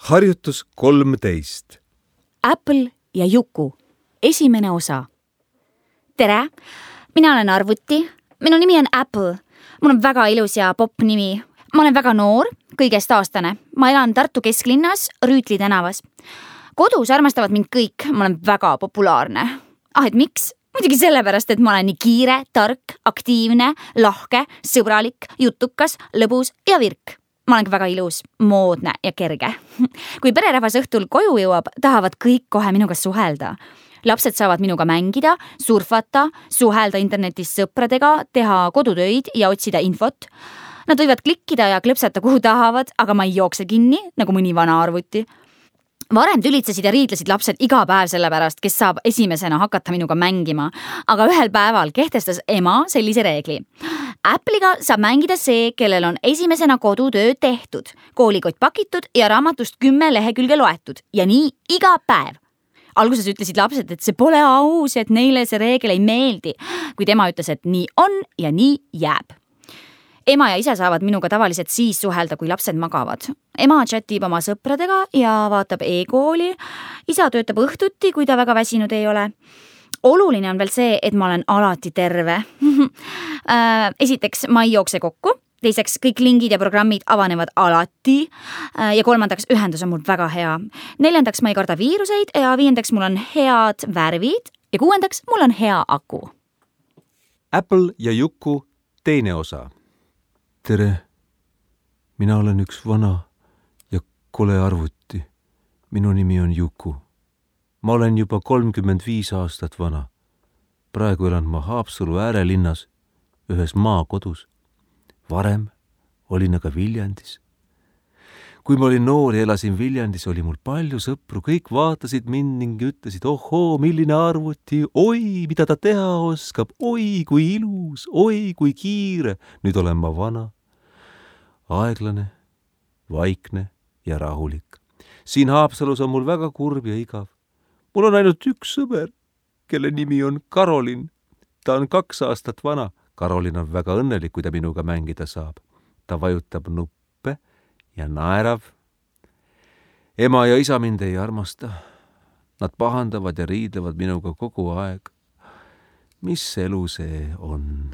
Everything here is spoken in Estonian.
Harjutus 13. Apple ja Juku. Esimene osa. Tere, mina olen Arvuti. Minu nimi on Apple. Mul on väga ilus ja popp nimi. Ma olen väga noor, kõigest aastane. Ma elan Tartu kesklinnas, Rüütli tänavas. Kodus armastavad mind kõik. Ma olen väga populaarne. Et miks? Muidugi sellepärast, et ma olen nii kiire, tark, aktiivne, lahke, sõbralik, jutukas, lõbus ja virk. Ma olen väga ilus, moodne ja kerge. Kui pererahvas õhtul koju jõuab, tahavad kõik kohe minuga suhelda. Lapsed saavad minuga mängida, surfata, suhelda internetis sõpradega, teha kodutöid ja otsida infot. Nad võivad klikkida ja klõpsata kuhu tahavad, aga ma ei jookse kinni, nagu mõni vana arvuti. Varem tülitsesid ja riidlesid lapsed iga päev selle pärast, kes saab esimesena hakata minuga mängima. Aga ühel päeval kehtestas ema sellise reegli. Apple'iga saab mängida see, kellel on esimesena kodutöö tehtud, koolikott pakitud ja raamatust 10 lehekülge loetud. Ja nii iga päev. Alguses ütlesid lapsed, et see pole aus, et neile see reegel ei meeldi. Kuid ema ütles, et nii on ja nii jääb. Ema ja isa saavad minuga tavaliselt siis suhelda, kui lapsed magavad. Ema chatib oma sõpradega ja vaatab e-kooli. Isa töötab õhtuti, kui ta väga väsinud ei ole. Oluline on veel see, et ma olen alati terve. Esiteks, ma ei jookse kokku. Teiseks, kõik lingid ja programmid avanevad alati. Ja kolmandaks, ühendus on mul väga hea. Neljandaks, ma ei karda viiruseid ja viiendaks, mul on head värvid. Ja kuuendaks, mul on hea aku. Apple ja Juku teine osa. Tere, mina olen üks vana ja kole arvuti. Minu nimi on Juku. Ma olen juba 35 aastat vana. Praegu elan ma Haapsalu äärelinnas, ühes maakodus. Varem olin aga Viljandis. Kui ma olin noor ja elasin Viljandis, oli mul palju sõpru. Kõik vaatasid mind ning ütlesid, ohoo, milline arvuti, oi, mida ta teha oskab, oi, kui ilus, oi, kui kiire. Nüüd olen ma vana, aeglane, vaikne ja rahulik. Siin Haapsalus on mul väga kurb ja igav. Mul on ainult üks sõber, kelle nimi on Karolin. Ta on 2 aastat vana. Karolin on väga õnnelik, kui ta minuga mängida saab. Ta vajutab nuppe ja naerav. Ema ja isa mind ei armasta. Nad pahandavad ja riidlevad minuga kogu aeg. Mis elu see on?